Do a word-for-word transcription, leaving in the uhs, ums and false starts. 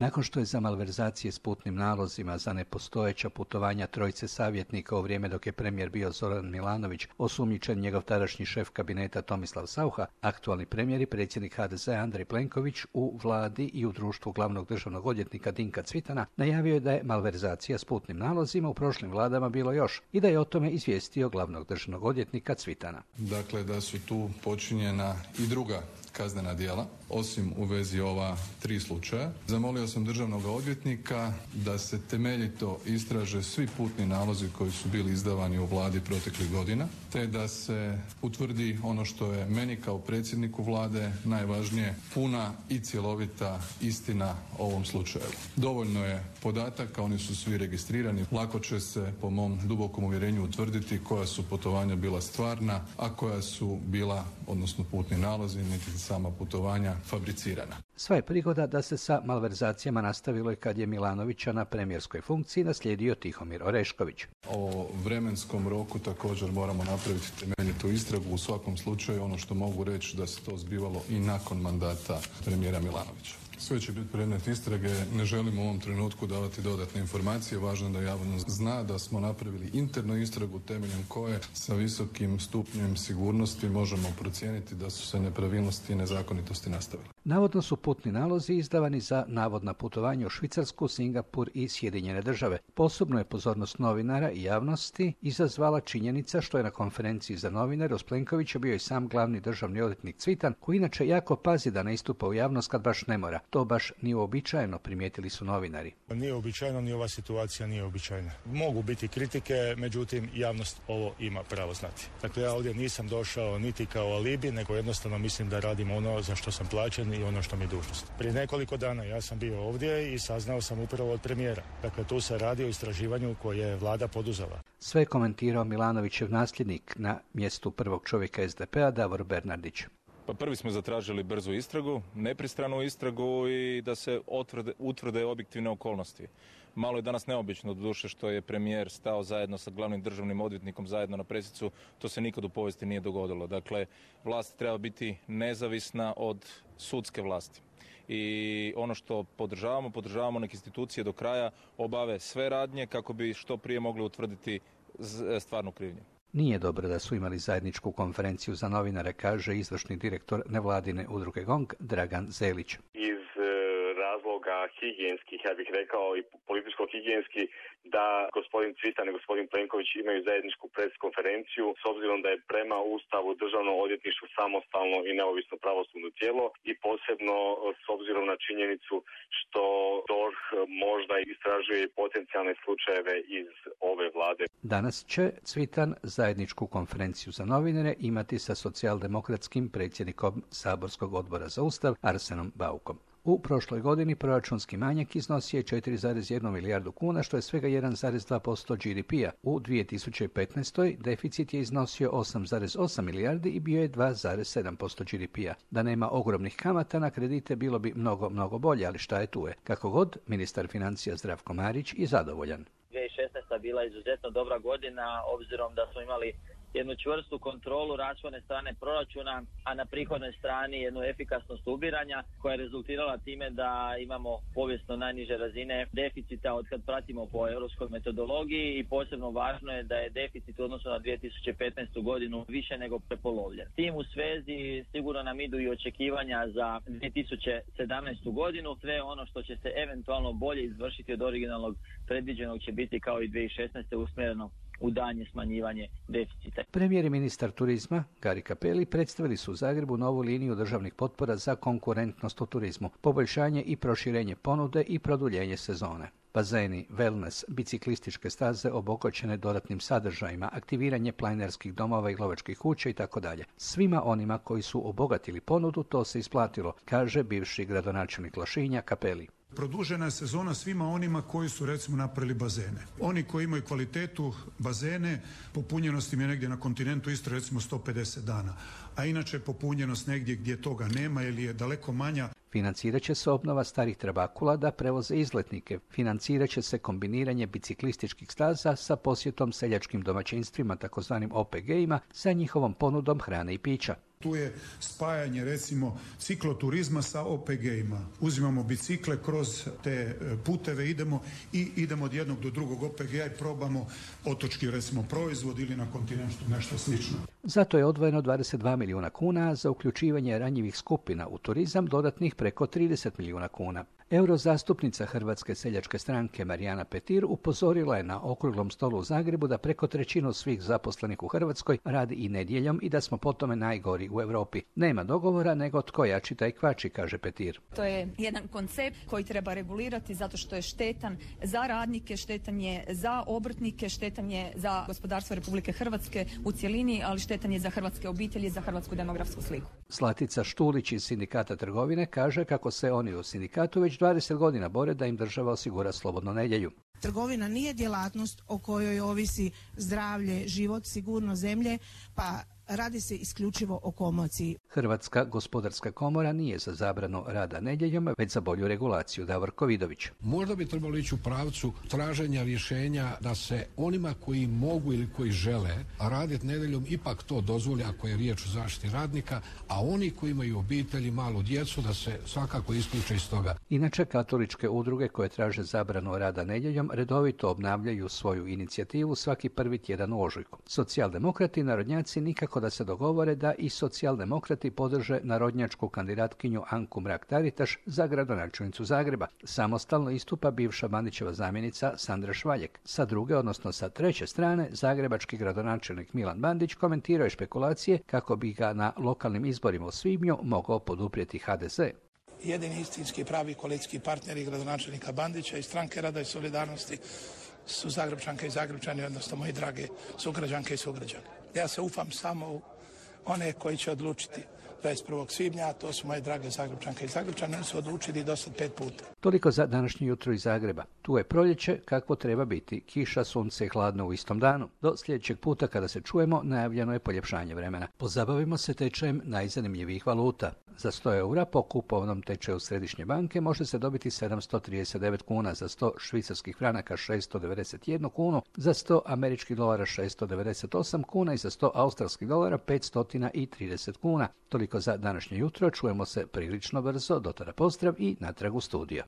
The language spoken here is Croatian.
Nakon što je za malverzacije s putnim nalozima za nepostojeća putovanja trojice savjetnika u vrijeme dok je premijer bio Zoran Milanović osumnjičen njegov tadašnji šef kabineta Tomislav Saucha, aktualni premijer i predsjednik ha de zea Andrej Plenković u vladi i u društvu glavnog državnog odvjetnika Dinka Cvitana najavio je da je malverzacija s putnim nalozima u prošlim vladama bilo još i da je o tome izvijestio glavnog državnog odvjetnika Cvitana. Dakle, da su tu počinjena i druga kaznena djela, osim u vezi ova tri slučaja. Zamolio sam državnog odvjetnika da se temeljito istraže svi putni nalozi koji su bili izdavani u vladi proteklih godina, te da se utvrdi ono što je meni kao predsjedniku vlade najvažnije, puna i cjelovita istina o ovom slučaju. Dovoljno je podataka, oni su svi registrirani, lako će se po mom dubokom uvjerenju utvrditi koja su putovanja bila stvarna, a koja su bila, odnosno putni nalozi, niti sama putovanja fabricirana. Sva je prigoda da se sa malverzacijama nastavilo i kad je Milanovića na premijerskoj funkciji naslijedio Tihomir Orešković. O vremenskom roku također moramo napraviti temeljitu istragu. U svakom slučaju ono što mogu reći da se to zbivalo i nakon mandata premijera Milanovića. Sve će biti predmet istrage, ne želim u ovom trenutku davati dodatne informacije, važno je da javnost zna da smo napravili internu istragu temeljem koje sa visokim stupnjem sigurnosti možemo procijeniti da su se nepravilnosti i nezakonitosti nastavili. Navodno su putni nalozi izdavani za navodna putovanja u Švicarsku, Singapur i Sjedinjene države. Posebno je pozornost novinara i javnosti izazvala činjenica što je na konferenciji za novinare uz Plenkovića bio i sam glavni državni odvjetnik Cvitan, koji inače jako pazi da ne istupa u javnost kad baš ne mora. To baš nije uobičajeno, primijetili su novinari. Nije uobičajeno, ni ova situacija nije uobičajena. Mogu biti kritike, međutim javnost ovo ima pravo znati. Dakle, ja ovdje nisam došao niti kao alibi, nego jednostavno mislim da radim ono za što sam plaćen i ono što mi je dužnost. Prije nekoliko dana ja sam bio ovdje i saznao sam upravo od premijera. Dakle, tu se radi o istraživanju koje je vlada poduzela. Sve je komentirao Milanovićev nasljednik na mjestu prvog čovjeka es de pe-a Davor Bernardić. Pa prvi smo zatražili brzu istragu, nepristranu istragu i da se otvrde, utvrde objektivne okolnosti. Malo je danas neobično doduše što je premijer stao zajedno sa glavnim državnim odvjetnikom zajedno na presicu, to se nikad u povijesti nije dogodilo. Dakle, vlast treba biti nezavisna od sudske vlasti. I ono što podržavamo, podržavamo neke institucije do kraja obave sve radnje kako bi što prije mogli utvrditi stvarnu krivnju. Nije dobro da su imali zajedničku konferenciju za novinare, kaže izvršni direktor nevladine udruge GONG Dragan Zelić. Iz razloga higijenskih, ja bih rekao i političko-higijenski, da gospodin Cvitan i gospodin Plenković imaju zajedničku preskonferenciju, s obzirom da je prema Ustavu državno odvjetništvo samostalno i neovisno pravosudno tijelo i posebno s obzirom na činjenicu što D O R H možda istražuje potencijalne slučajeve iz ove vlade. Danas će Cvitan zajedničku konferenciju za novinare imati sa socijaldemokratskim predsjednikom saborskog odbora za Ustav Arsenom Baukom. U prošloj godini proračunski manjak iznosio je četiri zarez jedna milijardu kuna, što je svega jedan zarez dva posto ge de pe-a. U dvije tisuće petnaestoj. deficit je iznosio osam zarez osam milijardi i bio je dva zarez sedam posto ge de pe-a. Da nema ogromnih kamata na kredite bilo bi mnogo, mnogo bolje, ali šta je tu je. Kako god, ministar financija Zdravko Marić je zadovoljan. dvije tisuće šesnaesta. bila izuzetno dobra godina, obzirom da smo imali jednu čvrstu kontrolu rashodne strane proračuna, a na prihodnoj strani jednu efikasnost ubiranja koja je rezultirala time da imamo povijesno najniže razine deficita od kad pratimo po europskoj metodologiji i posebno važno je da je deficit u odnosu na dvije tisuće petnaestu. godinu više nego prepolovljen. Tim u svezi sigurno nam idu i očekivanja za dvije tisuće sedamnaestu. godinu. Sve ono što će se eventualno bolje izvršiti od originalnog predviđenog će biti kao i dvije tisuće šesnaeste. usmjereno u daljnje smanjivanje deficita. Premijer i ministar turizma Gari Cappelli predstavili su u Zagrebu novu liniju državnih potpora za konkurentnost u turizmu, poboljšanje i proširenje ponude i produljenje sezone. Bazeni, wellness, biciklističke staze obogaćene dodatnim sadržajima, aktiviranje planerskih domova i lovačkih kuća itd. Svima onima koji su obogatili ponudu to se isplatilo, kaže bivši gradonačelnik Lošinja Cappelli. Produžena je sezona svima onima koji su recimo napravili bazene. Oni koji imaju kvalitetu bazene, popunjenost im je negdje na kontinentu isto recimo sto pedeset dana, a inače popunjenost negdje gdje toga nema ili je daleko manja. Financirat će se obnova starih trabakula da prevoze izletnike. Financirat će se kombiniranje biciklističkih staza sa posjetom seljačkim domaćinstvima, takozvanim o pe ge-ima, sa njihovom ponudom hrane i pića. Tu je spajanje recimo cikloturizma sa O P G-ima. Uzimamo bicikle kroz te puteve, idemo i idemo od jednog do drugog O P G-a i probamo otočki recimo proizvod ili na kontinentu nešto slično. Zato je odvojeno dvadeset dva milijuna kuna, za uključivanje ranjivih skupina u turizam dodatnih preko trideset milijuna kuna. Eurozastupnica Hrvatske seljačke stranke Marijana Petir upozorila je na okruglom stolu u Zagrebu da preko trećinu svih zaposlenih u Hrvatskoj radi i nedjeljom i da smo po tome najgori u Europi. Nema dogovora nego tko jači taj kvači, kaže Petir. To je jedan koncept koji treba regulirati zato što je štetan za radnike, štetan je za obrtnike, štetan je za gospodarstvo Republike Hrvatske u cjelini, ali štetan je za hrvatske obitelji, za hrvatsku demografsku sliku. Zlatica Štulić iz Sindikata trgovine kaže kako se oni u sindikatu već dvadeset godina bore da im država osigura slobodnu nedjelju. Trgovina nije djelatnost o kojoj ovisi zdravlje, život, sigurnost zemlje, pa radi se isključivo o komociji. Hrvatska gospodarska komora nije za zabranu rada nedjeljom, već za bolju regulaciju. Davorko Vidović. Možda bi trebalo ići u pravcu traženja rješenja da se onima koji mogu ili koji žele raditi nedjeljom ipak to dozvoli ako je riječ o zaštiti radnika, a oni koji imaju obitelji, malu djecu, da se svakako isključe iz toga. Inače, katoličke udruge koje traže zabranu rada nedjeljom redovito obnavljaju svoju inicijativu svaki prvi tjedan u ožujku. Socijaldemokrati i narodnjaci nikako da se dogovore da i socijaldemokrati podrže narodnjačku kandidatkinju Anku Mrak-Taritaš za gradonačelnicu Zagreba. Samostalno istupa bivša Bandićeva zamjenica Sandra Švaljek. Sa druge, odnosno sa treće strane, zagrebački gradonačelnik Milan Bandić komentirao je špekulacije kako bi ga na lokalnim izborima u svibnju mogao poduprijeti H D Z. Jedini istinski pravi koalicijski partneri gradonačelnika Bandića i Stranke rada i solidarnosti su Zagrebčanke i Zagrebčani, odnosno moji drage sugrađanke i sugrađani. Ja se ufam samo u one koji će odlučiti dvadeset prvog svibnja, a to su moje drage Zagrebčanke i Zagrebčani, oni su odlučili do sad pet puta. Toliko za današnje jutro iz Zagreba. Tu je proljeće kakvo treba biti. Kiša, sunce i hladno u istom danu. Do sljedećeg puta kada se čujemo najavljeno je poljepšanje vremena. Pozabavimo se tečajem najzanimljivijih valuta. Za sto eura po kupovnom tečaju Središnje banke može se dobiti sedamsto trideset devet kuna, za sto švicarskih franaka šesto devedeset jednu kunu, za sto američkih dolara šesto devedeset osam kuna i za sto australskih dolara petsto trideset kuna. Toliko za današnje jutro, čujemo se prilično brzo, do tada pozdrav i natrag u studio.